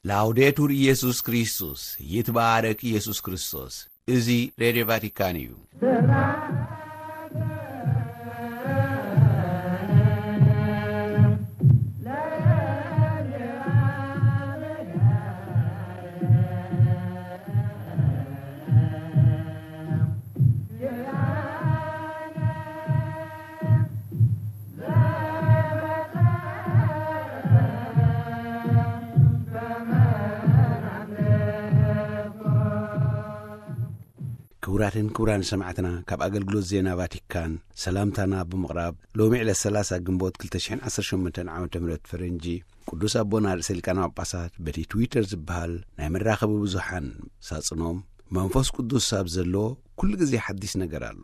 ላውዴቱር ኢየሱስ ክርስቶስ፣ ይትባረክ ኢየሱስ ክርስቶስ። እዚ ሬድዮ ቫቲካን እዩ። ክቡራትን ክቡራን ሰማዕትና፣ ካብ ኣገልግሎት ዜና ቫቲካን ሰላምታና ብምቕራብ፣ ሎሚ ዕለት ሰላሳ ግንቦት ክልተ ሽሕን ዓሰርተ ሸሞንተን ዓመተ ምህረት ፈረንጂ፣ ቅዱስ ኣቦና ርእሰ ሊቃነ ጳጳሳት በቲ ትዊተር ዝበሃል ናይ መራኸቢ ብዙሓን ሳጽኖም፣ መንፈስ ቅዱስ ኣብ ዘለዎ ኩሉ ግዜ ሓዲስ ነገር ኣሎ።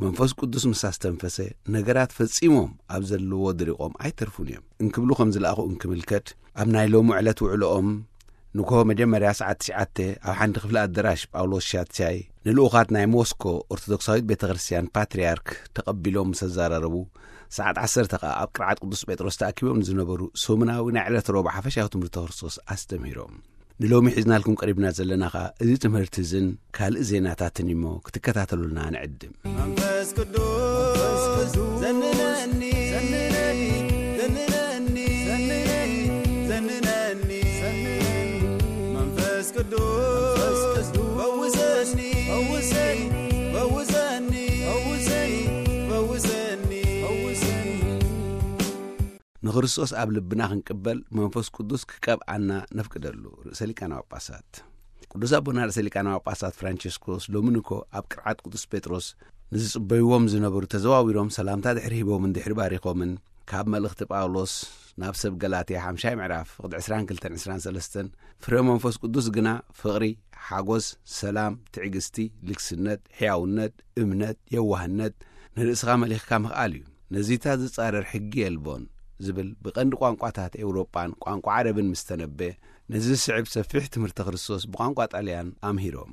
መንፈስ ቅዱስ ምስ ኣስተንፈሰ፣ ነገራት ፈጺሞም ኣብ ዘለዎ ድሪቖም ኣይተርፉን እዮም እንክብሉ ከም ዝለኣኹ እንክምልከት፣ ኣብ ናይ ሎሚ ዕለት ውዕሎኦም ንግሆ መጀመርያ ሰዓት ትሽዓተ ኣብ ሓንቲ ክፍሊ ኣደራሽ ጳውሎስ ሻትሻይ ንልኡኻት ናይ ሞስኮ ኦርቶዶክሳዊት ቤተ ክርስቲያን ፓትርያርክ ተቐቢሎም ምስ ኣዘራረቡ፣ ሰዓት ዓሰርተ ከኣ ኣብ ቅርዓት ቅዱስ ጴጥሮስ ተኣኪቦም ንዝነበሩ ሰሙናዊ ናይ ዕለት ረቡዕ ሓፈሻዊ ትምህርቲ ክርስቶስ ኣስተምህሮም። ንሎሚ ሒዝናልኩም ቀሪብና ዘለና ኸኣ እዚ ትምህርቲ እዝን ካልእ ዜናታትን እሞ ክትከታተሉልና ንዕድም። መንፈስ ቅዱስ ዘንነኒ፣ ዘንነኒ፣ ዘንነኒ፣ ዘንነኒ፣ መንፈስ ቅዱስ ፈውሰኒ፣ ፈውሰኒ፣ ፈውሰኒ፣ ፈውሰኒ፣ ፈውሰኒ። ንክርስቶስ ኣብ ልብና ክንቅበል መንፈስ ቅዱስ ክቀብኣና ነፍቅደሉ። ርእሰ ሊቃነ ጳጳሳት ቅዱስ ኣቦና ርእሰ ሊቃነ ጳጳሳት ፍራንቸስኮስ ሎሚ ንኮ ኣብ ቅርዓት ቅዱስ ጴጥሮስ ንዝጽበይዎም ዝነበሩ ተዘዋዊሮም ሰላምታ ድሕሪ ሂቦምን ድሕሪ ባሪኾምን፣ ካብ መልእኽቲ ጳውሎስ ናብ ሰብ ገላትያ ሓምሻይ ምዕራፍ ፍቕዲ ዕስራን ክልተን ዕስራን ሰለስተን፣ ፍረ መንፈስ ቅዱስ ግና ፍቕሪ፣ ሓጎስ፣ ሰላም፣ ትዕግስቲ፣ ልግስነት፣ ሕያውነት፣ እምነት፣ የዋህነት፣ ንርእስኻ መሊኽካ ምኽኣል እዩ። ነዚታት ዝጻረር ሕጊ የልቦን ዝብል ብቐንዲ ቋንቋታት ኤውሮጳን ቋንቋ ዓረብን ምስ ተነበየ፣ ነዚ ዝስዕብ ሰፊሕ ትምህርቲ ክርስቶስ ብቋንቋ ጣልያን ኣምሂሮም።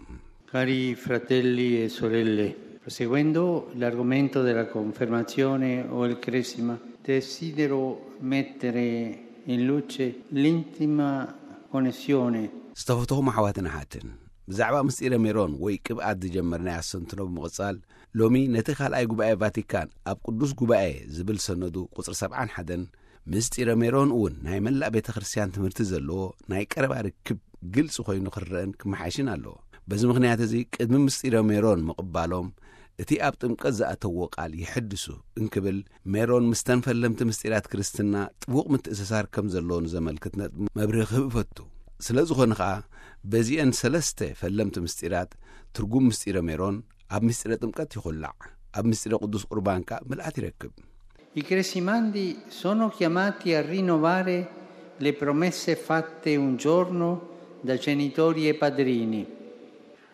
Cari fratelli e sorelle, proseguendo l'argomento della confermazione o il cresima, desidero mettere in luce l'intima connessione ዝተፈተኹም ኣሕዋትን ኣሓትን፣ ብዛዕባ ምስጢረ ሜሮን ወይ ቅብኣት ዝጀመርናዮ ኣስተንትኖ ብምቕጻል፣ ሎሚ ነቲ ካልኣይ ጉባኤ ቫቲካን ኣብ ቅዱስ ጉባኤ ዝብል ሰነዱ ቁጽሪ ሰብዓን ሓደን፣ ምስጢረ ሜሮን እውን ናይ መላእ ቤተ ክርስቲያን ትምህርቲ ዘለዎ ናይ ቀረባ ርክብ ግልጺ ኮይኑ ክረአን ክመሓሽን ኣለዎ። በዚ ምኽንያት እዚ ቅድሚ ምስጢረ ሜሮን ምቕባሎም እቲ ኣብ ጥምቀት ዝኣተዎ ቃል ይሕድሱ እንክብል፣ ሜሮን ምስተን ፈለምቲ ምስጢራት ክርስትና ጥቡቕ ምትእስሳር ከም ዘለዎ ንዘመልክት ነጥቢ መብርሂ ክህብ እፈቱ። ስለ ዝኾነ ኸኣ በዚአን ሰለስተ ፈለምቲ ምስጢራት ትርጉም ምስጢረ ሜሮን ኣብ ምስጢረ ጥምቀት ይኹላዕ፣ ኣብ ምስጢረ ቅዱስ ቁርባን ከኣ ምልኣት ይረክብ። I cresimandi sono chiamati a rinnovare le promesse fatte un giorno da genitori e padrini.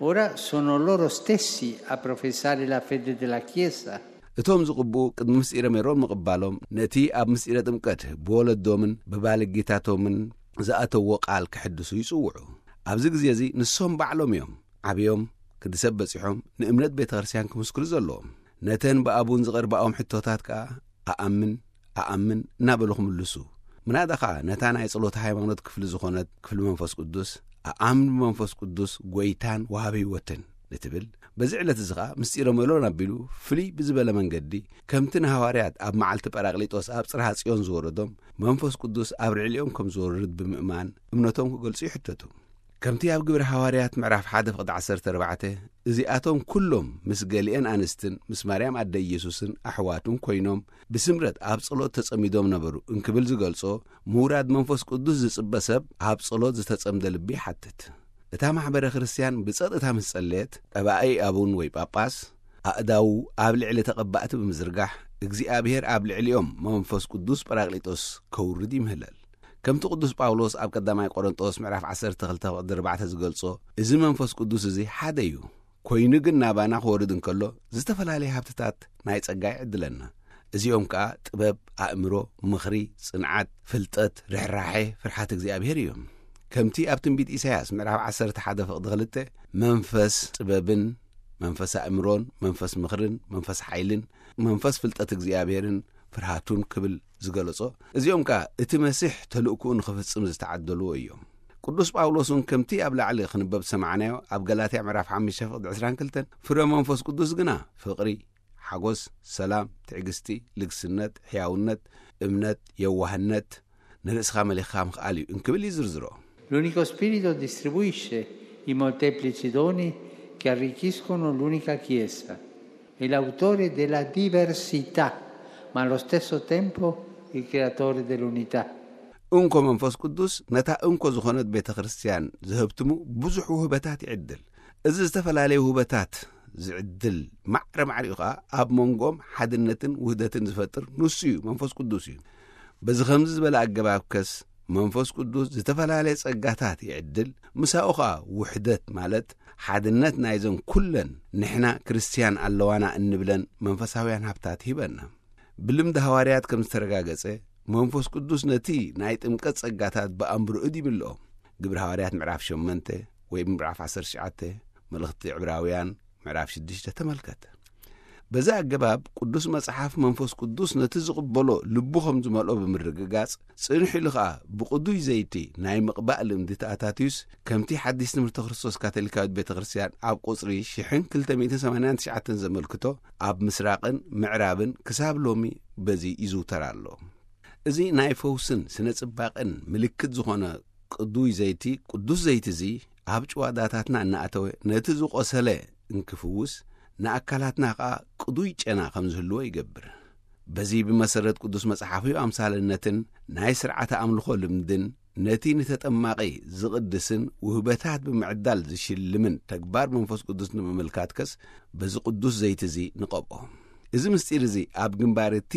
Ora sono loro stessi a professare la fede della Chiesa. እቶም ዝቕብኡ ቅድሚ ምስጢረ ሜሮን ምቕባሎም ነቲ ኣብ ምስጢረ ጥምቀት ብወለዶምን ብባልጊታቶምን ዝኣተዎ ቃል ክሕድሱ ይጽውዑ። ኣብዚ ግዜ እዚ ንሶም ባዕሎም እዮም ዓብዮም ክዲ ሰብ በጺሖም ንእምነት ቤተ ክርስቲያን ክምስክሩ ዘለዎም። ነተን ብኣቡን ዝቐርባኦም ሕቶታት ከኣ ኣኣምን፣ ኣኣምን እናበሉ ክምልሱ። ምናዳ ኸኣ ነታ ናይ ጸሎት ሃይማኖት ክፍሊ ዝኾነት ክፍሊ መንፈስ ቅዱስ፣ ኣኣምን ብመንፈስ ቅዱስ ጐይታን ወሃቢ ህይወትን ንትብል፣ በዚ ዕለት እዚ ኸኣ ምስጢረ ሜሮን ኣቢሉ ፍልይ ብዝበለ መንገዲ፣ ከምቲ ንሃዋርያት ኣብ መዓልቲ ጳራቅሊጦስ ኣብ ጽርሃ ጽዮን ዝወረዶም፣ መንፈስ ቅዱስ ኣብ ልዕሊኦም ከም ዝወርድ ብምእማን እምነቶም ክገልጹ ይሕተቱ። ከምቲ ኣብ ግብሪ ሃዋርያት ምዕራፍ ሓደ ፍቕዲ ዓሰርተ ኣርባዕተ፣ እዚኣቶም ኩሎም ምስ ገሊኤን ኣንስትን ምስ ማርያም ኣደ ኢየሱስን ኣሕዋቱን ኮይኖም ብስምረት ኣብ ጸሎት ተጸሚዶም ነበሩ እንክብል ዝገልጾ፣ ምውራድ መንፈስ ቅዱስ ዝጽበ ሰብ ኣብ ጸሎት ዝተጸምደ ልቢ ይሓትት። እታ ማሕበረ ክርስቲያን ብጸጥታ ምስ ጸለየት፣ ቀባኢ ኣቡን ወይ ጳጳስ ኣእዳዉ ኣብ ልዕሊ ተቐባእቲ ብምዝርጋሕ፣ እግዚኣብሔር ኣብ ልዕሊኦም መንፈስ ቅዱስ ጳራቅሊጦስ ከውርድ ይምህለል። ከምቲ ቅዱስ ጳውሎስ ኣብ ቀዳማይ ቆሮንጦስ ምዕራፍ ዓሰርተ ክልተ ፍቕዲ ኣርባዕተ ዝገልጾ፣ እዚ መንፈስ ቅዱስ እዚ ሓደ እዩ፣ ኮይኑ ግን ናባና ክወርድ እንከሎ ዝተፈላለየ ሃብትታት ናይ ጸጋ ይዕድለና። እዚኦም ከኣ ጥበብ፣ ኣእምሮ፣ ምኽሪ፣ ጽንዓት፣ ፍልጠት፣ ርሕራሐ፣ ፍርሓት እግዚኣብሔር እዮም። ከምቲ ኣብ ትንቢት ኢሳያስ ምዕራፍ ዓሰርተ ሓደ ፍቕዲ ክልተ፣ መንፈስ ጥበብን መንፈስ ኣእምሮን መንፈስ ምኽርን መንፈስ ሓይልን መንፈስ ፍልጠት እግዚኣብሔርን ፍርሃቱን ክብል ዝገለጾ፣ እዚኦም ከኣ እቲ መሲሕ ተልእኮኡ ንኽፍጽም ዝተዓደልዎ እዮም። ቅዱስ ጳውሎስ እውን ከምቲ ኣብ ላዕሊ ክንበብ ዝሰማዕናዮ ኣብ ገላትያ ምዕራፍ ሓሙሽተ ፍቕዲ ዕስራን ክልተን፣ ፍረ መንፈስ ቅዱስ ግና ፍቕሪ፣ ሓጎስ፣ ሰላም፣ ትዕግስቲ፣ ልግስነት፣ ሕያውነት፣ እምነት፣ የዋህነት፣ ንርእስኻ መሊኽካ ምኽኣል እዩ እንክብል ይዝርዝሮ። L'unico spirito distribuisce i molteplici doni che arricchiscono l'unica Chiesa. È l'autore della diversità, ma allo stesso tempo il creatore dell'unità. እንኮ መንፈስ ቅዱስ ነታ እንኮ ዝኾነት ቤተ ክርስቲያን ዝህብትሙ ብዙሕ ውህበታት ይዕድል። እዚ ዝተፈላለዩ ውህበታት ዝዕድል ማዕረ ማዕሪኡ ኸኣ ኣብ መንጎም ሓድነትን ውህደትን ዝፈጥር ንሱ እዩ፣ መንፈስ ቅዱስ እዩ። በዚ ኸምዚ ዝበለ ኣገባብ ከስ መንፈስ ቅዱስ ዝተፈላለየ ጸጋታት ይዕድል፣ ምሳኡ ኸኣ ውሕደት ማለት ሓድነት ናይዘን ኩለን ንሕና ክርስትያን ኣለዋና እንብለን መንፈሳውያን ሃብታት ሂበና። ብልምዲ ሃዋርያት ከም ዝተረጋገጸ መንፈስ ቅዱስ ነቲ ናይ ጥምቀት ጸጋታት ብኣምብርኡድ ይምልኦ። ግብሪ ሃዋርያት ምዕራፍ ሸሞንተ ወይ ምዕራፍ ዓሰርተ ትሽዓተ፣ መልእኽቲ ዕብራውያን ምዕራፍ ሽዱሽተ ተመልከት። በዚ ኣገባብ ቅዱስ መጽሓፍ መንፈስ ቅዱስ ነቲ ዝቕበሎ ልቡ ከም ዝመልኦ ብምርግጋጽ፣ ጽንሕ ኢሉ ኸኣ ብቕዱይ ዘይቲ ናይ ምቕባእ ልምዲ ተኣታትዩስ፣ ከምቲ ሓዲስ ትምህርቲ ክርስቶስ ካቶሊካዊት ቤተ ክርስቲያን ኣብ ቁጽሪ ሽሕን ክልተ ሚእትን ሰማንያን ትሽዓተን ዘመልክቶ፣ ኣብ ምስራቕን ምዕራብን ክሳብ ሎሚ በዚ ይዝውተር ኣሎ። እዚ ናይ ፈውስን ስነ ጽባቕን ምልክት ዝኾነ ቅዱይ ዘይቲ፣ ቅዱስ ዘይቲ እዚ ኣብ ጭዋዳታትና እናኣተወ ነቲ ዝቖሰለ እንክፍውስ፣ ንኣካላትና ኸኣ ቅዱይ ጨና ከም ዝህልዎ ይገብር። በዚ ብመሰረት ቅዱስ መጽሓፍዩ ኣምሳልነትን ናይ ስርዓተ ኣምልኾ ልምድን ነቲ ንተጠማቒ ዝቕድስን ውህበታት ብምዕዳል ዝሽልምን ተግባር መንፈስ ቅዱስ ንምምልካትከስ በዚ ቅዱስ ዘይቲ እዚ ንቐብኦ። እዚ ምስጢር እዚ ኣብ ግንባር እቲ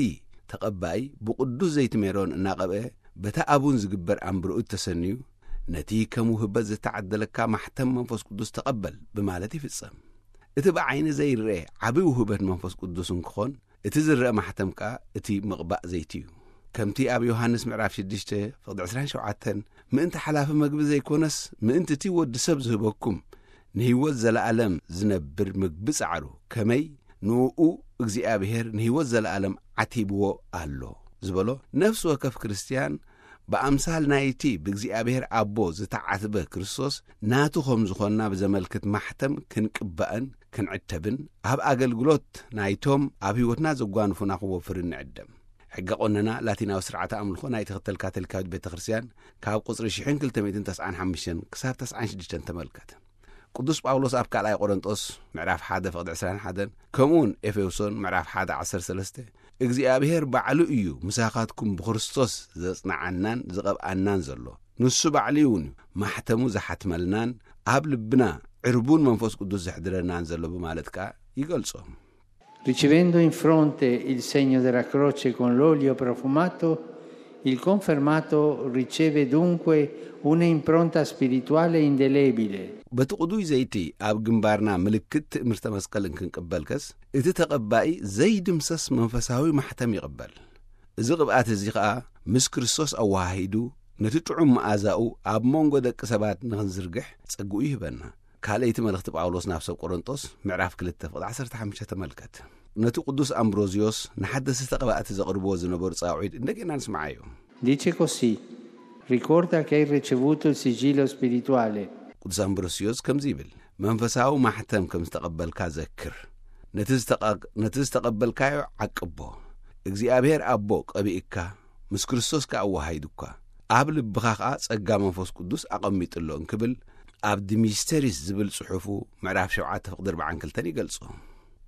ተቐባኢ ብቅዱስ ዘይቲ ሜሮን እናቐብአ በታ ኣቡን ዝግበር ኣምብርኡት ተሰንዩ ነቲ ከም ውህበት ዝተዓደለካ ማሕተም መንፈስ ቅዱስ ተቐበል ብማለት ይፍጸም። እቲ ብዓይኒ ዘይርአ ዓቢ ውህበት መንፈስ ቅዱስ እንክኾን እቲ ዝረአ ማሕተም ከኣ እቲ ምቕባእ ዘይቲ እዩ። ከምቲ ኣብ ዮሃንስ ምዕራፍ ሽዱሽተ ፍቕዲ ዕስራን ሸውዓተን ምእንቲ ሓላፊ መግቢ ዘይኮነስ ምእንቲ እቲ ወዲ ሰብ ዝህበኩም ንህይወት ዘለኣለም ዝነብር ምግቢ ጻዕሩ ከመይ ንኡ እግዚኣብሔር ንህይወት ዘለኣለም ዓቲብዎ ኣሎ ዝበሎ ነፍሲ ወከፍ ክርስትያን ብኣምሳል ናይቲ ብእግዚኣብሔር ኣቦ ዝተዓትበ ክርስቶስ ናቱ ከም ዝኾንና ብዘመልክት ማሕተም ክንቅባእን ክንዕተብን ኣብ ኣገልግሎት ናይቶም ኣብ ህይወትና ዘጓንፉና ክወፍርን ንዕደም። ሕገ ቆነና ላቲናዊ ስርዓተ ኣምልኾ ናይ ትኽተል ካቶሊካዊት ቤተ ክርስቲያን ካብ ቁጽሪ ሽሕን ክልተ ሚእትን ተስዓን ሓሙሽተን ክሳብ ተስዓን ሽዱሽተን ተመልከት። ቅዱስ ጳውሎስ ኣብ ካልኣይ ቆሮንጦስ ምዕራፍ ሓደ ፍቕዲ ዕስራን ሓደን ከምኡውን ኤፌሶን ምዕራፍ ሓደ ዓሰርተ ሰለስተ እግዚኣብሔር ባዕሉ እዩ ምሳኻትኩም ብክርስቶስ ዘጽንዓናን ዝቐብኣናን ዘሎ። ንሱ ባዕሉ እውን ማሕተሙ ዝሓትመልናን ኣብ ልብና ዕርቡን መንፈስ ቅዱስ ዘሕድረናን ዘሎ ብማለት ከኣ ይገልጾ። Ricevendo in fronte il segno della croce con l'olio profumato, il confermato riceve dunque un'impronta spirituale indelebile. በቲ ቅዱይ ዘይቲ ኣብ ግንባርና ምልክት ትእምርተ መስቀል እንክንቅበልከስ እቲ ተቐባኢ ዘይድምሰስ መንፈሳዊ ማሕተም ይቕበል። እዚ ቅብኣት እዚ ኸኣ ምስ ክርስቶስ ኣወሃሂዱ ነቲ ጥዑም መኣዛኡ ኣብ መንጎ ደቂ ሰባት ንኽንዝርግሕ ጸግኡ ይህበና። ካልኣይቲ መልእኽቲ ጳውሎስ ናብ ሰብ ቆሮንጦስ ምዕራፍ ክልተ ፍቕዲ ዓሰርተ ሓሙሽተ ተመልከት። ነቲ ቅዱስ ኣምብሮዝዮስ ንሓደስቲ ተቐባእቲ ዘቕርብዎ ዝነበሩ ጻውዒት እንደገና ንስምዓዮ። Dice così: ricorda che hai ricevuto il sigillo spirituale. ቅዱስ ኣምብሮስዮስ ከምዚ ይብል፣ መንፈሳዊ ማሕተም ከም ዝተቐበልካ ዘክር። ነቲ ዝተቐ- ነቲ ዝተቐበልካዮ ዓቅቦ። እግዚኣብሔር ኣቦ ቀቢእካ ምስ ክርስቶስ ከኣ ኣወሃሂዱካ ኣብ ልብኻ ከኣ ጸጋ መንፈስ ቅዱስ ኣቐሚጡ ኣሎ እንክብል ኣብ ዲሚስተሪስ ዝብል ጽሑፉ ምዕራፍ ሸውዓተ ፍቕዲ ኣርባዓን ክልተን ይገልጾ።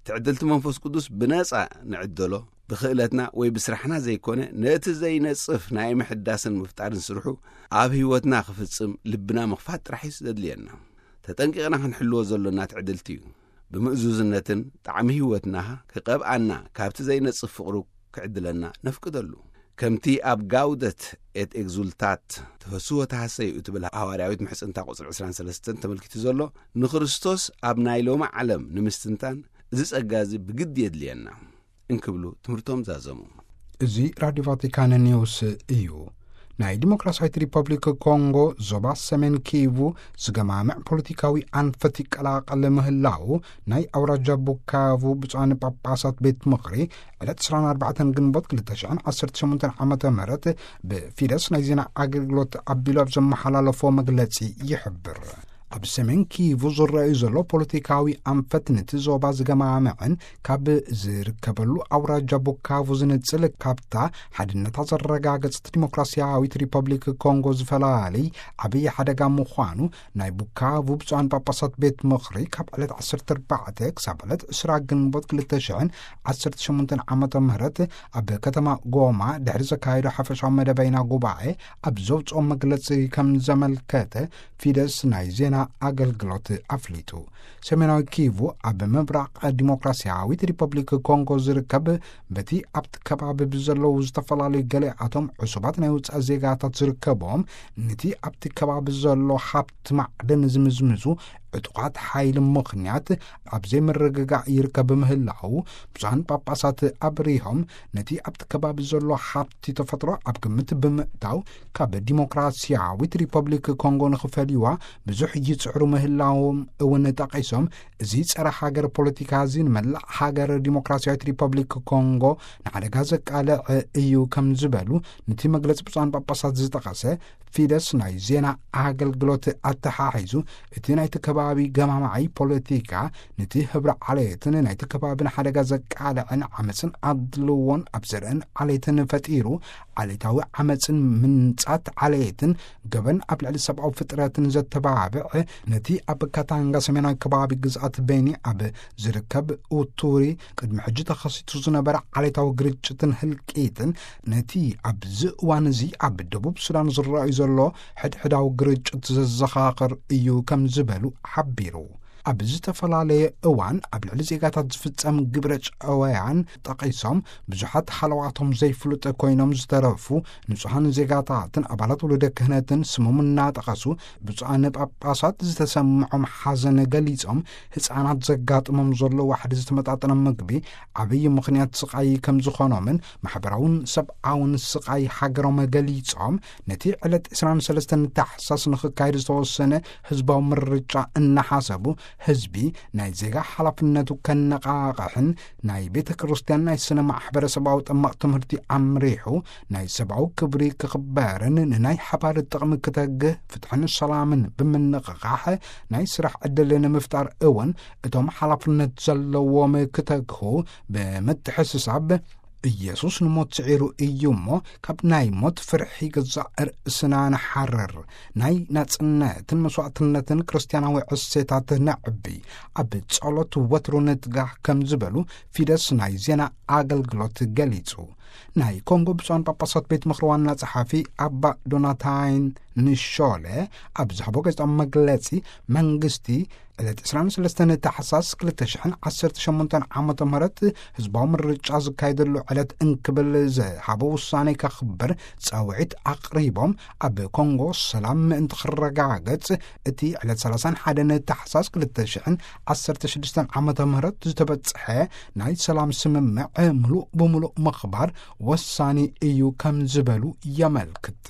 ትዕድልቲ መንፈስ ቅዱስ ብነጻ ንዕደሎ፣ ብክእለትና ወይ ብስራሕና ዘይኮነ ነቲ ዘይነጽፍ ናይ ምሕዳስን ምፍጣርን ስርሑ ኣብ ህይወትና ክፍጽም ልብና ምኽፋት ጥራሕ እዩ ዘድልየና። ተጠንቂቕና ክንሕልዎ ዘሎና ትዕድልቲ እዩ። ብምእዙዝነትን ጣዕሚ ህይወትና ክቐብኣና ካብቲ ዘይነጽፍ ፍቕሩ ክዕድለና ነፍቅደሉ። ከምቲ ኣብ ጋውደት ኤት ኤግዙልታት ተፈስዎ ተሃሰዩ እትብል ሃዋርያዊት ምሕጽንታ ቁጽሪ ዕስራን ሰለስተን ተመልኪቱ ዘሎ ንክርስቶስ ኣብ ናይ ሎሚ ዓለም ንምስትንታን እዚ ጸጋ እዚ ብግዲ የድልየና እንክብሉ ትምህርቶም ዛዘሙ። እዚ ራድዮ ቫቲካን ኒውስ እዩ። ናይ ዲሞክራሲያዊት ሪፐብሊክ ኮንጎ ዞባ ሰሜን ኪቩ ዝገማምዕ ፖለቲካዊ ኣንፈት ይቀላቐል ምህላው ናይ ኣውራጃ ቡካቩ ብፁዓን ጳጳሳት ቤት ምኽሪ ዕለት ዕስራን ኣርባዕተን ግንቦት ክልተ ሽሕን ዓሰርተ ሸሞንተን ዓመተ ምህረት ብፊደስ ናይ ዜና ኣገልግሎት ኣቢሉ ኣብ ዘመሓላለፎ መግለጺ ይሕብር። ኣብ ሰሜን ኪቩ ዝረኣዩ ዘሎ ፖለቲካዊ ኣንፈት ነቲ ዞባ ዝገማምዕን ካብ ዝርከበሉ ኣውራጃ ቡካቩ ዝንጽል ካብታ ሓድነታ ዘረጋገጸት ዲሞክራሲያዊት ሪፐብሊክ ኮንጎ ዝፈላሊ ዓብዪ ሓደጋ ምዃኑ ናይ ቡካቩ ብፁዓን ጳጳሳት ቤት ምኽሪ ካብ ዕለት ዓሰርተ ኣርባዕተ ክሳብ ዕለት ዕስራ ግንቦት ክልተ ሽሕን ዓሰርተ ሸሞንተን ዓመተ ምህረት ኣብ ከተማ ጎማ ድሕሪ ዘካየዶ ሓፈሻዊ መደበይና ጉባኤ ኣብ ዘውፅኦ መግለፂ ከም ዘመልከተ ፊደስ ናይ ዜና ኣገልግሎት ኣፍሊጡ። ሰሜናዊ ኪቩ ኣብ ምብራቕ ዲሞክራሲያዊት ሪፐብሊክ ኮንጎ ዝርከብ በቲ ኣብቲ ከባቢ ብዘለዉ ዝተፈላለዩ ገለ ኣቶም ዕሱባት ናይ ውፃእ ዜጋታት ዝርከቦም ነቲ ኣብቲ ከባቢ ዘሎ ሃብቲ ማዕድን ዝምዝምዙ ዕጡቓት ሓይሊ ምኽንያት ኣብ ዘይምርግጋእ ይርከብ ምህላው ብዙሓን ጳጳሳት ኣብሪሆም ነቲ ኣብቲ ከባቢ ዘሎ ሃብቲ ተፈጥሮ ኣብ ግምት ብምእታው ካብ ዲሞክራሲያዊት ሪፐብሊክ ኮንጎ ንኽፈልይዋ ብዙሕ ይጽዕሩ ምህላዎም እውን ጠቒሶም፣ እዚ ጸረ ሃገር ፖለቲካ እዚ ንመላእ ሃገር ዲሞክራሲያዊት ሪፐብሊክ ኮንጎ ንሓደጋ ዘቃልዕ እዩ ከም ዝበሉ ነቲ መግለጺ ብፁዓን ጳጳሳት ዝጠቐሰ ፊደስ ናይ ዜና ኣገልግሎት ኣተሓሒዙ፣ እቲ ናይቲ ከባቢ ገማማዓይ ፖለቲካ ነቲ ህብረ ዓሌትን ናይቲ ከባቢ ንሓደጋ ዘቃልዕን ዓመፅን ኣድልዎን ኣብ ዘርእን ዓሌትን ፈጢሩ፣ ዓሌታዊ ዓመፅን ምንጻት ዓሌትን ገበን ኣብ ልዕሊ ሰብኣዊ ፍጥረትን ዘተባብዕ፣ ነቲ ኣብ ካታንጋ ሰሜናዊ ከባቢ ግዝኣት ቤኒ ኣብ ዝርከብ ኡቱሪ ቅድሚ ሕጂ ተኸሲቱ ዝነበረ ዓሌታዊ ግርጭትን ህልቂትን፣ ነቲ ኣብዚ እዋን እዚ ኣብ ደቡብ ሱዳን ዝረኣዩ ዘሎ ሕድሕዳዊ ግርጭት ዘዘኻኽር እዩ ከም ዝበሉ ሓቢሩ። ኣብ ዝተፈላለየ እዋን ኣብ ልዕሊ ዜጋታት ዝፍጸም ግብረ ጨወያን ጠቒሶም፣ ብዙሓት ሃለዋቶም ዘይፍሉጥ ኮይኖም ዝተረፉ ንጹሃን ዜጋታትን ኣባላት ውሉደ ክህነትን ስሞም እናጠቐሱ፣ ብፁዓን ጳጳሳት ዝተሰምዖም ሓዘን ገሊጾም፣ ህጻናት ዘጋጥሞም ዘሎ ዋሕዲ ዝተመጣጠነ ምግቢ ዓብዪ ምኽንያት ስቓይ ከም ዝኾኖምን ማሕበራውን ሰብኣውን ስቓይ ሃገሮም ገሊጾም፣ ነቲ ዕለት ዕስራን ሰለስተን ታሕሳስ ንኽካየድ ዝተወሰነ ህዝባዊ ምርጫ እናሓሰቡ፣ ህዝቢ ናይ ዜጋ ሓላፍነቱ ከነቓቕሕን ናይ ቤተ ክርስቲያን ናይ ስነ ማሕበረሰባዊ ጠማቕ ትምህርቲ ኣምሪሑ፣ ናይ ሰብኣዊ ክብሪ ክኽበርን ንናይ ሓባር ጥቕሚ ክተግህ ፍትሕን ሰላምን ብምንቕቓሕ ናይ ስራሕ ዕድል ንምፍጣር እውን እቶም ሓላፍነት ዘለዎም ክተግሁ ብምትሕስሳብ፣ ኢየሱስ ንሞት ስዒሩ እዩ እሞ፣ ካብ ናይ ሞት ፍርሒ ገዛእ ርእስና ንሓርር፣ ናይ ናጽነትን መስዋእትነትን ክርስትያናዊ ዕሴታት ነዕቢ፣ ኣብ ጸሎት ወትሩ ንትጋህ ከም ዝበሉ ፊደስ ናይ ዜና ኣገልግሎት ገሊጹ። ናይ ኮንጎ ብፁዓን ጳጳሳት ቤት ምኽሪ ዋና ጸሓፊ ኣባ ዶናታይን ንሾለ ኣብ ዝሃቦ ጋዜጣዊ መግለጺ፣ መንግስቲ ዕለት ዕስራን ሰለስተን ታሕሳስ ክልተ ሽሕን ዓሰርተ ሸሞንተን ዓመተ ምህረት ህዝባዊ ምርጫ ዝካየደሉ ዕለት እንክብል ዝሃቦ ውሳኔ ከኽብር ጻውዒት ኣቕሪቦም፣ ኣብ ኮንጎ ሰላም ምእንቲ ክረጋገጽ እቲ ዕለት ሰላሳን ሓደን ታሕሳስ ክልተ ሽሕን ዓሰርተ ሽዱሽተን ዓመተ ምህረት ዝተበጽሐ ናይ ሰላም ስምምዕ ምሉእ ብምሉእ ምኽባር ወሳኒ እዩ ከም ዝበሉ የመልክት።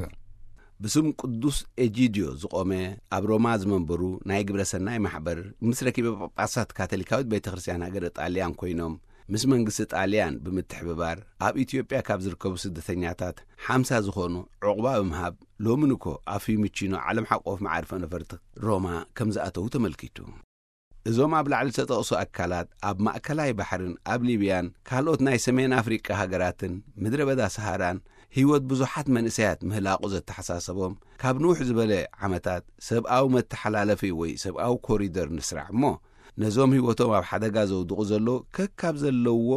ብስም ቅዱስ ኤጂድዮ ዝቖመ ኣብ ሮማ ዝመንበሩ ናይ ግብረ ሰናይ ማሕበር ምስ ረኪበ ጳጳሳት ካቶሊካዊት ቤተ ክርስቲያን ሃገረ ጣልያን ኮይኖም ምስ መንግስቲ ጣልያን ብምትሕብባር ኣብ ኢትዮጵያ ካብ ዝርከቡ ስደተኛታት ሓምሳ ዝኾኑ ዕቑባ ብምሃብ ሎሚ ንኮ ኣብ ፊዩሚቺኖ ዓለም ሓቆፍ መዓርፎ ነፈርቲ ሮማ ከም ዝኣተዉ ተመልኪቱ። እዞም ኣብ ላዕሊ ዝተጠቕሱ ኣካላት ኣብ ማእከላይ ባሕርን ኣብ ሊብያን ካልኦት ናይ ሰሜን ኣፍሪቃ ሃገራትን ምድረ በዳ ሰሃራን ህይወት ብዙሓት መንእሰያት ምህላቑ ዘተሓሳሰቦም፣ ካብ ንውሕ ዝበለ ዓመታት ሰብኣዊ መተሓላለፊ ወይ ሰብኣዊ ኮሪደር ንስራሕ እሞ፣ ነዞም ህይወቶም ኣብ ሓደጋ ዘውድቑ ዘለዉ ከካብ ዘለውዎ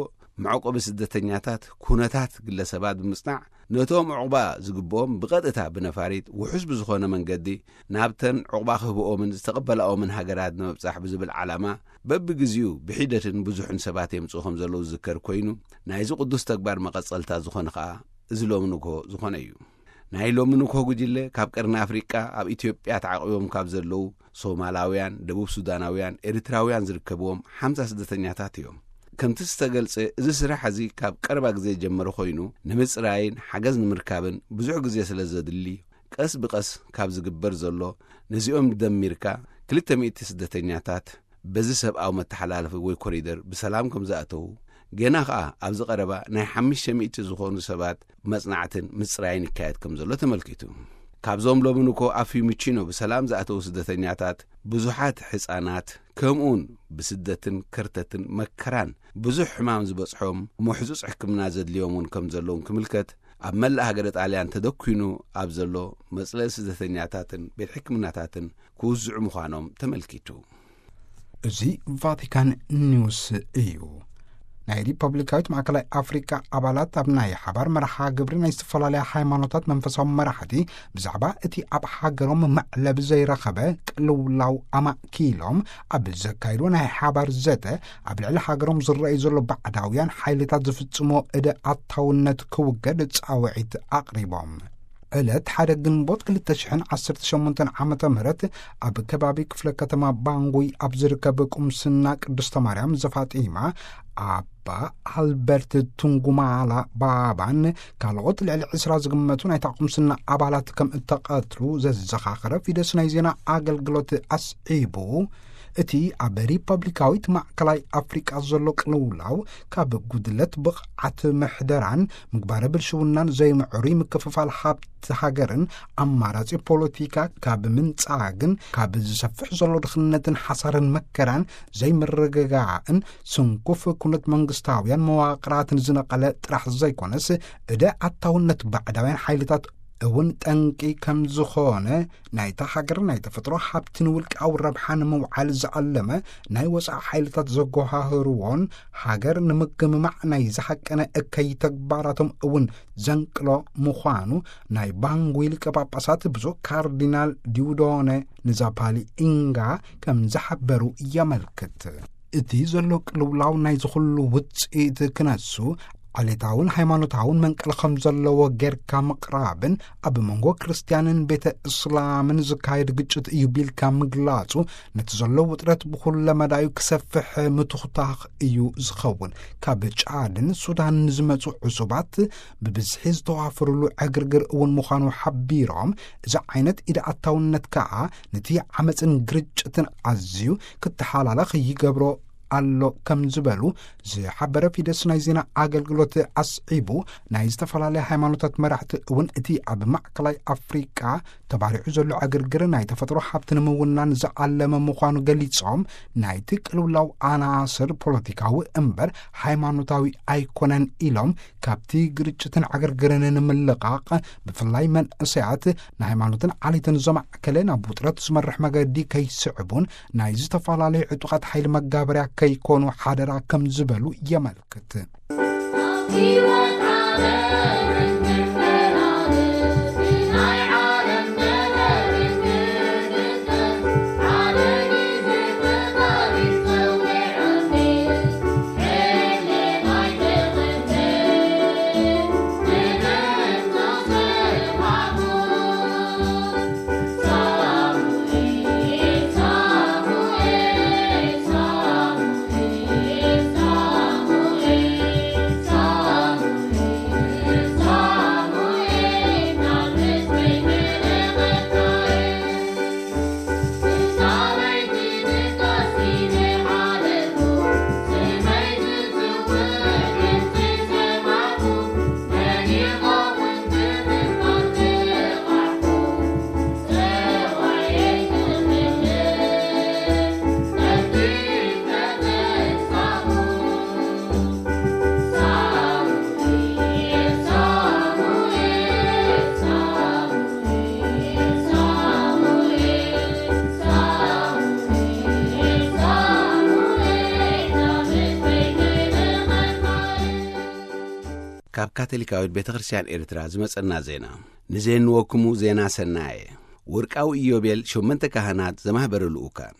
መዕቆቢ ስደተኛታት ኩነታት ግለሰባት ብምጽናዕ፣ ነቶም ዕቑባ ዝግብኦም ብቐጥታ ብነፋሪት ውሑስ ብዝኾነ መንገዲ ናብተን ዕቑባ ክህብኦምን ዝተቐበላኦምን ሃገራት ንምብጻሕ ብዝብል ዓላማ፣ በብግዜኡ ብሒደትን ብዙሕን ሰባት የምጽኡ ከም ዘለዉ ዝዝከር ኮይኑ፣ ናይዚ ቅዱስ ተግባር መቐጸልታ ዝኾነ ኸኣ እዚ ሎሚ ንግሆ ዝኾነ እዩ። ናይ ሎሚ ንግሆ ጉጅለ ካብ ቀርኒ ኣፍሪቃ ኣብ ኢትዮጵያ ተዓቂቦም ካብ ዘለዉ ሶማላውያን፣ ደቡብ ሱዳናውያን፣ ኤርትራውያን ዝርከብዎም ሓምሳ ስደተኛታት እዮም። ከምቲ ዝተገልጸ፣ እዚ ስራሕ እዚ ካብ ቀረባ ግዜ ዝጀመረ ኮይኑ፣ ንምጽራይን ሓገዝ ንምርካብን ብዙሕ ግዜ ስለ ዘድሊ፣ ቀስ ብቐስ ካብ ዝግበር ዘሎ፣ ነዚኦም ደሚርካ ክልተ ሚእቲ ስደተኛታት በዚ ሰብኣዊ መተሓላለፊ ወይ ኮሪደር ብሰላም ከም ዝኣተዉ፣ ገና ኸኣ ኣብዚ ቀረባ ናይ ሓሙሽተ ሚእቲ ዝኾኑ ሰባት መጽናዕትን ምጽራይን ይካየድ ከም ዘሎ ተመልኪቱ። ካብዞም ሎሚ ንኮ ኣብ ፊዩሚቺኖ ብሰላም ዝኣተዉ ስደተኛታት፣ ብዙሓት ሕጻናት፣ ከምኡውን ብስደትን ከርተትን መከራን ብዙሕ ሕማም ዝበጽሖም፣ ምሕጹጽ ሕክምና ዘድልዮም እውን ከም ዘለውን ክምልከት፣ ኣብ መላእ ሃገረ ጣልያን ተደኲኑ ኣብ ዘሎ መጽለሊ ስደተኛታትን ቤት ሕክምናታትን ክውዝዑ ምዃኖም ተመልኪቱ። እዚ ቫቲካን ኒውስ እዩ። ናይ ሪፐብሊካዊት ማእከላይ ኣፍሪቃ ኣባላት ኣብ ናይ ሓባር መርሓ ግብሪ ናይ ዝተፈላለያ ሃይማኖታት መንፈሳዊ መራሕቲ ብዛዕባ እቲ ኣብ ሃገሮም መዕለቢ ዘይረኸበ ቅልውላው ኣማእኪሎም ኣብ ዘካይድዎ ናይ ሓባር ዘተ፣ ኣብ ልዕሊ ሃገሮም ዝረኣዩ ዘሎ ባዕዳውያን ሓይልታት ዝፍጽሞ እደ ኣታውነት ክውገድ ጻውዒት ኣቕሪቦም። ዕለት ሓደ ግንቦት ክልተ ሽሕን ዓሰርተ ሸሞንተን ዓመተ ምህረት ኣብ ከባቢ ክፍለ ከተማ ባንጉይ ኣብ ዝርከብ ቁምስና ቅድስተ ማርያም ዘፋጢማ ኣባ ኣልበርት ቱንጉማላ ባባን ካልኦት ልዕሊ ዕስራ ዝግመቱ ናይታ ቁምስና ኣባላት ከም እተቐትሉ ዘዘኻኸረ ፊደስ ናይ ዜና ኣገልግሎት ኣስዒቡ፣ እቲ ኣብ ሪፐብሊካዊት ማእከላይ ኣፍሪቃ ዘሎ ቅልውላው ካብ ጉድለት ብቕዓት ምሕደራን ምግባረ ብልሽውናን ዘይምዕሩይ ምክፍፋል ሃብቲ ሃገርን ኣማራጺ ፖለቲካ ካብ ምንጻግን ካብ ዝሰፍሕ ዘሎ ድኽነትን ሓሳርን መከራን ዘይምርግጋእን ስንኩፍ ኩነት መንግስታውያን መዋቕራትን ዝነቐለ ጥራሕ ዘይኮነስ፣ እደ ኣታውነት ባዕዳውያን ሓይልታት እውን ጠንቂ ከም ዝኾነ፣ ናይታ ሃገር ናይ ተፈጥሮ ሃብቲ ንውልቃዊ ረብሓ ንምውዓል ዝዓለመ ናይ ወጻኢ ሓይልታት ዘጎሃህርዎን ሃገር ንምግምማዕ ናይ ዝሃቀነ እከይ ተግባራቶም እውን ዘንቅሎ ምዃኑ ናይ ባንጉ ሊቀ ጳጳሳት ብፁዕ ካርዲናል ዲውዶነ ንዛፓሊ ኢንጋ ከም ዝሓበሩ የመልክት። እቲ ዘሎ ቅልውላው ናይ ዝኹሉ ውጽኢት ክነሱ፣ ዓሌታውን ሃይማኖታውን መንቀሊ ከም ዘለዎ ጌርካ ምቕራብን ኣብ መንጎ ክርስትያንን ቤተ እስላምን ዝካየድ ግጭት እዩ ቢልካ ምግላጹ፣ ነቲ ዘሎ ውጥረት ብኹለ መዳዩ ክሰፍሕ ምትኹታኽ እዩ ዝኸውን። ካብ ጫድን ሱዳንን ዝመጹ ዕሱባት ብብዝሒ ዝተዋፈሩሉ ዕግርግር እውን ምዃኑ ሓቢሮም፣ እዚ ዓይነት ኢድ ኣታውነት ከኣ ነቲ ዓመጽን ግርጭትን ኣዝዩ ክተሓላለኽ ይገብሮ ኣሎ ከም ዝበሉ ዝሓበረ ፊደስ ናይ ዜና ኣገልግሎት ኣስዒቡ፣ ናይ ዝተፈላለያ ሃይማኖታት መራሕቲ እውን እቲ ኣብ ማእከላይ ኣፍሪቃ ተባሪዑ ዘሎ ዕግርግር ናይ ተፈጥሮ ሃብቲ ንምውናን ዝዓለመ ምዃኑ ገሊጾም፣ ናይቲ ቅልውላው ኣናስር ፖለቲካዊ እምበር ሃይማኖታዊ ኣይኮነን ኢሎም፣ ካብቲ ግርጭትን ዕግርግርን ንምልቓቕ ብፍላይ መንእሰያት ንሃይማኖትን ዓሌትን ዘማዕከለ ናብ ውጥረት ዝመርሕ መገዲ ከይስዕቡን ናይ ዝተፈላለዩ ዕጡቓት ሓይሊ መጋበርያ ከይኮኑ ሓደራ ከም ዝበሉ የመልክት። ካብ ካቶሊካዊት ቤተ ክርስቲያን ኤርትራ ዝመጸና ዜና። ንዜንወክሙ ዜና ሰናየ። ወርቃዊ ኢዮቤል ሸመንተ ካህናት ዘማህበረ ልኡካን።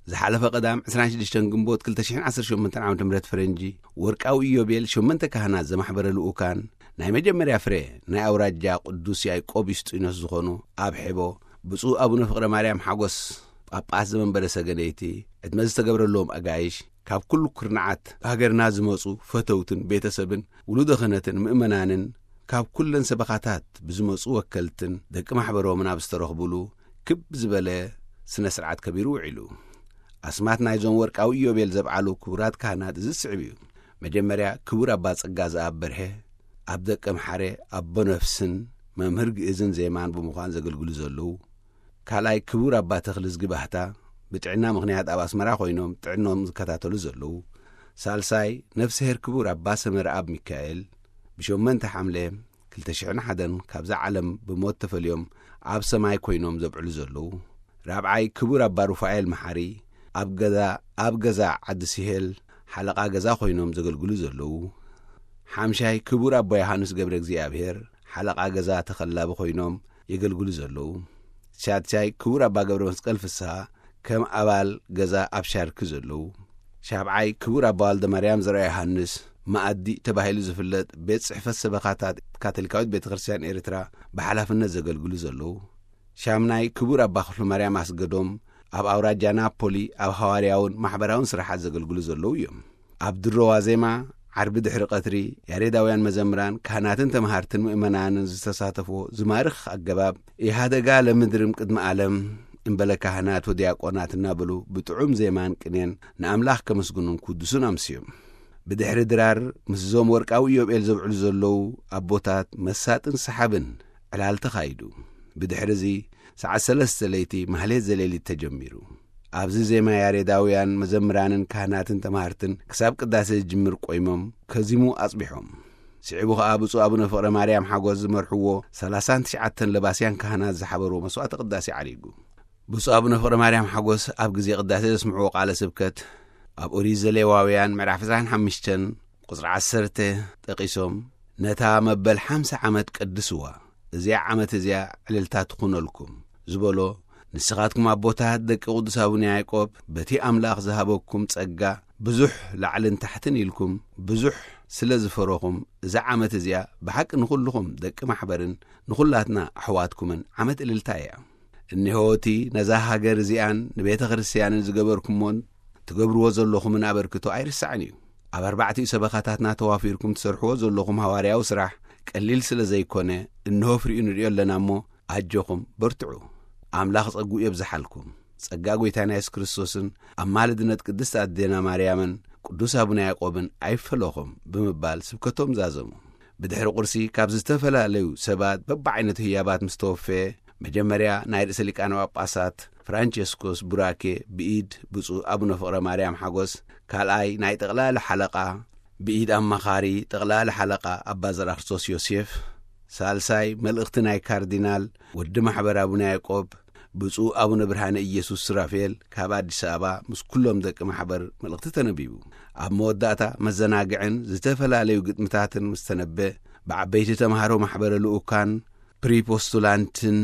ዝሓለፈ ቀዳም ዕስራን ሽዱሽተን ግንቦት ክልተ ሽሕን ዓሰርተ ሸሞንተን ዓመተ ምህረት ፈረንጂ፣ ወርቃዊ ኢዮቤል ሸመንተ ካህናት ዘማሕበረ ልኡካን፣ ናይ መጀመርያ ፍሬ ናይ ኣውራጃ ቅዱስ ያዕቆብ ዩስጢኖስ ዝኾኑ ኣብ ሔቦ፣ ብፁዕ ኣቡነ ፍቕረ ማርያም ሓጎስ፣ ጳጳስ ዘመንበረ ሰገነይቲ፣ ዕድመ ዝተገብረሎም ኣጋይሽ፣ ካብ ኩሉ ኩርናዓት ሃገርና ዝመጹ ፈተውትን ቤተሰብን ውሉደ ክህነትን ምእመናንን ካብ ኩለን ሰበኻታት ብዝመጹ ወከልትን ደቂ ማሕበሮምን ኣብ ዝተረኽቡሉ ክብ ዝበለ ስነ ስርዓት ከቢሩ ውዒሉ። ኣስማት ናይዞም ወርቃዊ ኢዮቤል ዘብዓሉ ክቡራት ካህናት እዚ ዝስዕብ እዩ። መጀመርያ ክቡር ኣባ ጸጋ ዘኣብ በርሀ ኣብ ደቀ ምሓረ ኣቦ ነፍስን መምህር ግእዝን ዜማን ብምዃን ዘገልግሉ ዘለዉ፣ ካልኣይ ክቡር ኣባ ተኽልዝጊ ባህታ ብጥዕና ምኽንያት ኣብ ኣስመራ ኮይኖም ጥዕኖም ዝከታተሉ ዘለዉ፣ ሳልሳይ ነፍስሄር ክቡር ኣባ ሰመረ ኣብ ሚካኤል ብሸመንተ ሓምለ ክልተ ሽሕን ሓደን ካብዛ ዓለም ብሞት ተፈልዮም ኣብ ሰማይ ኮይኖም ዘብዕሉ ዘለዉ፣ ራብዓይ ክቡር ኣባ ሩፋኤል መሓሪ ኣብ ገዛ ኣብ ገዛ ዓዲ ሲሄል ሓለቓ ገዛ ኮይኖም ዘገልግሉ ዘለዉ፣ ሓምሻይ ክቡር ኣባ ዮሃንስ ገብረ እግዚኣብሔር ሓለቓ ገዛ ተኸላቢ ኮይኖም የገልግሉ ዘለዉ፣ ሻድሻይ ክቡር ኣባ ገብረ መስቀል ፍስሃ ከም ኣባል ገዛ ኣብ ሻርኪ ዘለዉ፣ ሻብዓይ ክቡር ኣባ ወልደ ማርያም ዘርኣ ዮሃንስ መኣዲ ተባሂሉ ዝፍለጥ ቤት ጽሕፈት ሰበኻታት ካቶሊካዊት ቤተ ክርስቲያን ኤርትራ ብሓላፍነት ዘገልግሉ ዘለዉ፣ ሻምናይ ክቡር ኣባ ክፍሉ ማርያም ኣስገዶም ኣብ ኣውራጃ ናፖሊ ኣብ ሃዋርያውን ማሕበራውን ስራሓት ዘገልግሉ ዘለዉ እዮም። ኣብ ድሮ ዋዜማ ዓርቢ ድሕሪ ቀትሪ ያሬዳውያን መዘምራን ካህናትን ተምሃርትን ምእመናንን ዝተሳተፍዎ ዝማርኽ ኣገባብ ኢሃደጋ ለምድርም ቅድሚ ዓለም እምበለ ካህናት ወዲያቆናት እናበሉ ብጥዑም ዜማን ቅኔን ንኣምላኽ ከመስግኑን ክውድሱን ኣምስዮም። ብድሕሪ ድራር ምስዞም ወርቃዊ ኢዮብኤል ዘብዕሉ ዘለዉ ኣቦታት መሳጥን ሰሓብን ዕላል ተኻይዱ። ብድሕሪ እዚ ሰዓት ሰለስተ ለይቲ ማህሌት ዘሌሊት ተጀሚሩ። ኣብዚ ዜማ ያሬዳውያን መዘምራንን ካህናትን ተማህርትን ክሳብ ቅዳሴ ዝጅምር ቆይሞም ከዚሙ ኣጽቢሖም። ስዒቡ ኸኣ ብፁዕ ኣቡነ ፍቕረ ማርያም ሓጎስ ዝመርሕዎ ሰላሳን ትሽዓተን ለባስያን ካህናት ዝሓበርዎ መስዋዕተ ቅዳሴ ዓሪጉ። ብፁዕ ኣቡነ ፍቕረ ማርያም ሓጎስ ኣብ ግዜ ቅዳሴ ዘስምዕዎ ቃለ ስብከት ኣብ ኦሪት ዘሌዋውያን ምዕራፍ ዕስራን ሓሙሽተን ቁጽሪ ዓሰርተ ጠቒሶም፣ ነታ መበል ሓምሳ ዓመት ቀድስዋ፣ እዚኣ ዓመት እዚኣ ዕልልታ ትኹነልኩም ዝበሎ፣ ንስኻትኩም ኣቦታት ደቂ ቅዱስ ኣቡነ ያዕቆብ በቲ ኣምላኽ ዝሃበኩም ጸጋ ብዙሕ ላዕልን ታሕትን ኢልኩም ብዙሕ ስለ ዝፈረኹም፣ እዛ ዓመት እዚኣ ብሓቂ ንኹልኹም ደቂ ማሕበርን ንኹላትና ኣሕዋትኩምን ዓመት እልልታ እያ። እነሆ እቲ ነዛ ሃገር እዚኣን ንቤተ ክርስቲያንን ዝገበርኩሞን ትገብርዎ ዘለኹምን ኣበርክቶ ኣይርሳዕን እዩ። ኣብ ኣርባዕቲኡ ሰበኻታትና ተዋፊርኩም ትሰርሕዎ ዘለኹም ሃዋርያዊ ስራሕ ቀሊል ስለ ዘይኮነ፣ እንሆ ፍሪኡ ንሪኦ ኣለና እሞ፣ ኣጆኹም በርትዑ። ኣምላኽ ጸግኡ የብዝሓልኩም። ጸጋ ጐይታና የሱስ ክርስቶስን ኣማልድነት ቅድስት ኣዴና ማርያምን ቅዱስ ኣቡነ ያዕቆብን ኣይፈለኹም ብምባል ስብከቶም ዛዘሙ። ብድሕሪ ቁርሲ ካብ ዝተፈላለዩ ሰባት በብዓይነቱ ህያባት ምስ ተወፈየ፣ መጀመርያ ናይ ርእሰ ሊቃነ ጳጳሳት ፍራንቸስኮስ ቡራኬ ብኢድ ብፁዕ ኣቡነ ፍቕረ ማርያም ሓጎስ፣ ካልኣይ ናይ ጠቕላሊ ሓለቓ ብኢድ ኣማኻሪ ጠቕላሊ ሓለቓ ኣባ ዘርኣክርስቶስ ዮሴፍ፣ ሳልሳይ መልእኽቲ ናይ ካርዲናል ወዲ ማሕበር ኣቡነ ያዕቆብ ብፁዕ ኣቡነ ብርሃነ ኢየሱስ ሱራፌል ካብ ኣዲስ ኣበባ ምስ ኩሎም ደቂ ማሕበር መልእኽቲ ተነቢቡ። ኣብ መወዳእታ መዘናግዕን ዝተፈላለዩ ግጥምታትን ምስ ተነበ፣ ብዓበይቲ ተምሃሮ ማሕበረ ልኡካን ፕሪፖስቱላንትን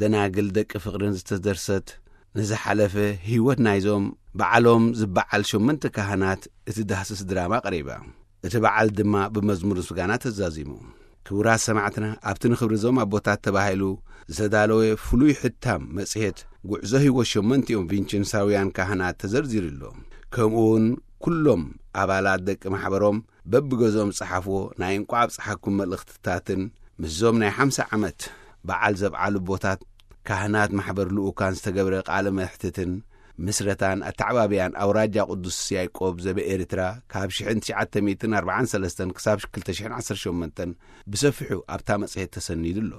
ደናግል ደቂ ፍቕርን ዝተደርሰት ንዝሓለፈ ህይወት ናይዞም በዓሎም ዝበዓል ሸሞንተ ካህናት እትዳህስስ ድራማ ቀሪባ። እቲ በዓል ድማ ብመዝሙር ምስጋና ተዛዚሙ። ክቡራት ሰማዕትና፣ ኣብቲ ንኽብሪ እዞም ኣቦታት ተባሂሉ ዝተዳለወ ፍሉይ ሕታም መጽሔት ጉዕዞ ህይወት ሸሞንቲኦም ቪንቸንሳውያን ካህናት ተዘርዚሩ ኣሎ። ከምኡ እውን ኩሎም ኣባላት ደቂ ማሕበሮም በብገዝኦም ዝጸሓፍዎ ናይ እንቋዕ ኣብጽሓኩም መልእኽትታትን ምስዞም ናይ ሓምሳ ዓመት በዓል ዘብዓሉ ኣቦታት ካህናት ማሕበር ልኡካን ዝተገብረ ቃለ መሕትትን ምስረታን ኣተዓባብያን ኣውራጃ ቅዱስ ያዕቆብ ዘበኤርትራ ካብ ሽሕን ትሽዓተ ሚእትን ኣርባዓን ሰለስተን ክሳብ ክልተ ሽሕን ዓሰርተ ሸሞንተን ብሰፊሑ ኣብታ መጽሔት ተሰኒዱ ኣሎ።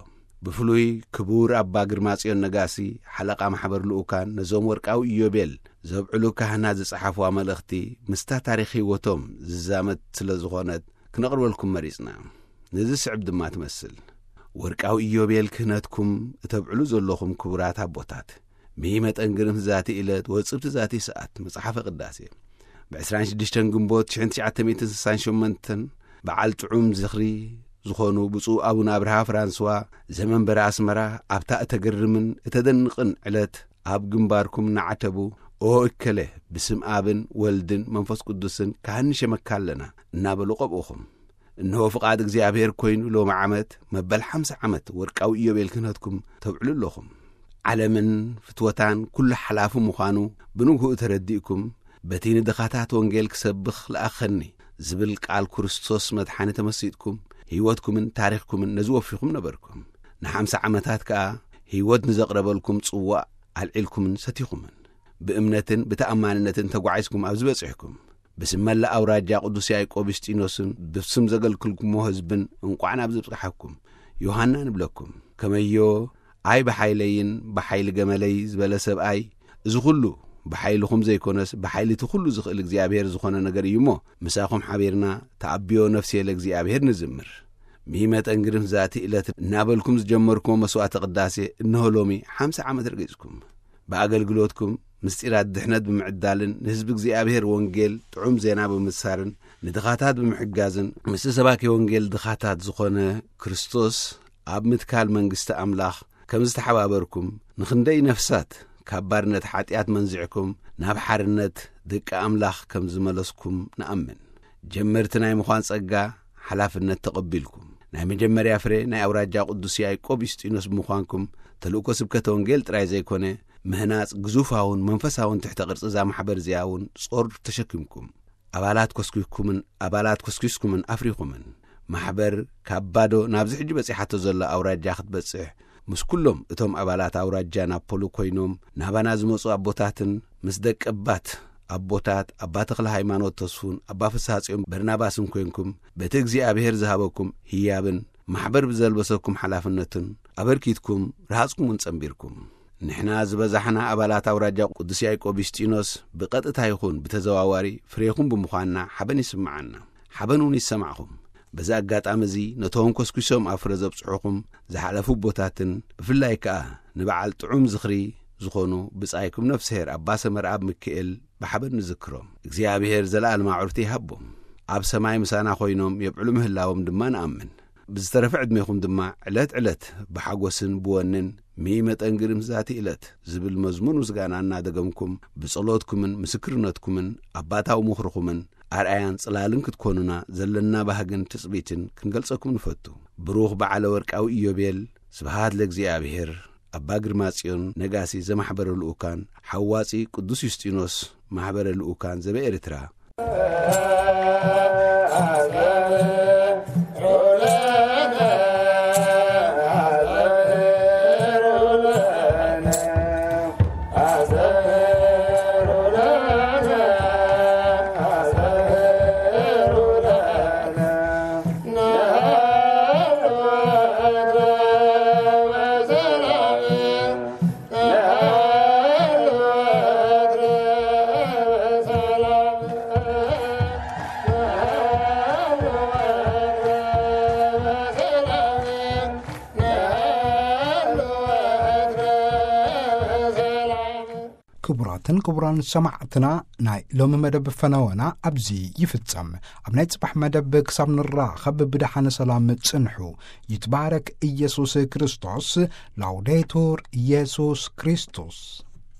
ብፍሉይ ክቡር ኣባ ግርማጽዮን ነጋሲ፣ ሓለቓ ማሕበር ልኡካን፣ ነዞም ወርቃዊ ኢዮቤል ዘብዕሉ ካህናት ዝጸሓፍዋ መልእኽቲ ምስታ ታሪኽ ህይወቶም ዝዛመድ ስለ ዝኾነት ክነቕርበልኩም መሪጽና። ነዚ ስዕብ ድማ ትመስል። ወርቃዊ ኢዮቤል ክህነትኩም እተብዕሉ ዘለኹም ክቡራት ኣቦታት፣ ምሂ መጠን ግርምት ዛቲ ዕለት ወጽብቲ ዛቲ ሰዓት መጽሓፈ ቅዳሴ። ብ ዕስራን ሽዱሽተን ግንቦት ሽሕን ትሽዓተ ሚእትን ስሳን ሸሞንተን በዓል ጥዑም ዝኽሪ ዝኾኑ ብፁዕ ኣቡነ ኣብርሃ ፍራንስዋ ዘመንበረ ኣስመራ ኣብታ እተገርምን እተደንቕን ዕለት ኣብ ግንባርኩም እናዓተቡ፣ "ኦ እከለ፣ ብስም ኣብን ወልድን መንፈስ ቅዱስን ካህን ንሸመካ ኣለና" እናበሉ ቀብኡኹም። እንሆ ፍቓድ እግዚኣብሔር ኮይኑ ሎሚ ዓመት መበል ሓምሳ ዓመት ወርቃዊ ኢዮቤል ክህነትኩም ተብዕሉ ኣለኹም። ዓለምን ፍትወታን ኩሉ ሓላፊ ምዃኑ ብንግህኡ ተረዲእኩም፣ በቲ ንድኻታት ወንጌል ክሰብኽ ለኣኸኒ ዝብል ቃል ክርስቶስ መድሓኒ ተመሲጥኩም፣ ህይወትኩምን ታሪኽኩምን ነዚ ወፊኹም ነበርኩም። ንሓምሳ ዓመታት ከኣ ህይወት ንዘቕረበልኩም ጽዋእ ኣልዒልኩምን ሰቲኹምን። ብእምነትን ብተኣማንነትን ተጓዒዝኩም ኣብዚ በጺሕኩም። ብስም መላእ ኣውራጃ ቅዱስ ያዕቆብ ዩስጢኖስን ብስም ዘገልግልኩሞ ህዝብን እንቋዕ ናብ ዝበጽሓኩም። ዮሃና ንብለኩም። ከመዮ ኣይ ብሓይለይን ብሓይሊ ገመለይ ዝበለ ሰብኣይ፣ እዚ ኹሉ ብሓይልኹም ዘይኮነስ ብሓይሊ እቲ ኹሉ ዝኽእል እግዚኣብሔር ዝኾነ ነገር እዩ እሞ፣ ምሳኹም ሓቢርና ተኣብዮ ነፍስየ ለእግዚኣብሔር ንዝምር። ሚመጠን ግርም ዛቲ ዕለት እናበልኩም ዝጀመርኩሞ መስዋዕተ ቅዳሴ እንሆ ሎሚ ሓምሳ ዓመት ረጊጽኩም። ብኣገልግሎትኩም ምስጢራት ድሕነት ብምዕዳልን ንህዝቢ እግዚኣብሔር ወንጌል ጥዑም ዜና ብምብሳርን ንድኻታት ብምሕጋዝን ምስቲ ሰባኪ ወንጌል ድኻታት ዝኾነ ክርስቶስ ኣብ ምትካል መንግስቲ ኣምላኽ ከም ዝተሓባበርኩም፣ ንኽንደይ ነፍሳት ካብ ባርነት ሓጢኣት መንዚዕኩም ናብ ሓርነት ደቂ ኣምላኽ ከም ዝመለስኩም ንኣምን። ጀመርቲ ናይ ምዃን ጸጋ ሓላፍነት ተቐቢልኩም፣ ናይ መጀመርያ ፍሬ ናይ ኣውራጃ ቅዱስ ያዕቆብ ዩስጢኖስ ብምዃንኩም፣ ተልእኮ ስብከተ ወንጌል ጥራይ ዘይኮነ፣ ምህናጽ ግዙፋውን መንፈሳውን ትሕተ ቅርጺ እዛ ማሕበር እዚኣ እውን ጾር ተሸኪምኩም። ኣባላት ኮስኪስኩምን፣ ኣባላት ኮስኪስኩምን ኣፍሪኹምን። ማሕበር ካብ ባዶ ናብዚ ሕጂ በጺሓቶ ዘላ ኣውራጃ ክትበጽሕ፣ ምስ ኩሎም እቶም ኣባላት ኣውራጃ ናፖሊ ኮይኖም ናባና ዝመጹ ኣቦታትን ምስ ደቀባት ኣቦታት ኣባ ተኽለ ሃይማኖት ተስፉን ኣባ ፍስሃ ጽዮን በርናባስን ኮይንኩም፣ በቲ እግዚኣብሔር ዝሃበኩም ህያብን ማሕበር ብዘልበሰኩም ሓላፍነትን ኣበርኪትኩም ረሃጽኩምን ጸንቢርኩም። ንሕና ዝበዛሕና ኣባላት ኣውራጃ ቅዱስ ያዕቆብ ዩስጢኖስ ብቐጥታ ይኹን ብተዘዋዋሪ ፍሬኹም ብምዃንና ሓበን ይስምዓና። ሓበን እውን ይሰማዕኹም። በዚ ኣጋጣሚ እዚ ነቶም ኮስኪሶም ኣብ ፍረ ዘብጽሑኹም ዝሓለፉ ኣቦታትን ብፍላይ ከኣ ንበዓል ጥዑም ዝኽሪ ዝኾኑ ብጻይኩም ነፍስሄር ኣባ ሰመርኣብ ሚካኤል ብሓበን ንዝክሮም። እግዚኣብሔር ዘለኣለማዊ ዕርፍቲ ይሃቦም። ኣብ ሰማይ ምሳና ኮይኖም የብዕሉ ምህላዎም ድማ ንኣምን። ብዝተረፈ ዕድሜኹም ድማ ዕለት ዕለት ብሓጎስን ብወንን ሚመጠን ግርም ዛቲ ዕለት ዝብል መዝሙር ምስጋና እናደገምኩም ብጸሎትኩምን ምስክርነትኩምን ኣባታዊ ምኽርኹምን ኣርኣያን ጽላልን ክትኮኑና ዘለና ባህግን ትጽቢትን ክንገልጸኩም ንፈቱ። ብሩኽ በዓለ ወርቃዊ ኢዮቤል። ስብሃት ለእግዚኣብሔር። ኣባ ግርማ ጽዮን ነጋሲ ዘማሕበረ ልኡካን፣ ሓዋጺ ቅዱስ ዩስጢኖስ ማሕበረ ልኡካን ዘበኤርትራ። ክቡራትን ክቡራን ሰማዕትና፣ ናይ ሎሚ መደብ ፈነወና ኣብዚ ይፍጸም። ኣብ ናይ ጽባሕ መደብ ክሳብ ንራኸብ ብደሓነ ሰላም ጽንሑ። ይትባረክ ኢየሱስ ክርስቶስ። ላውዴቱር ኢየሱስ ክርስቶስ።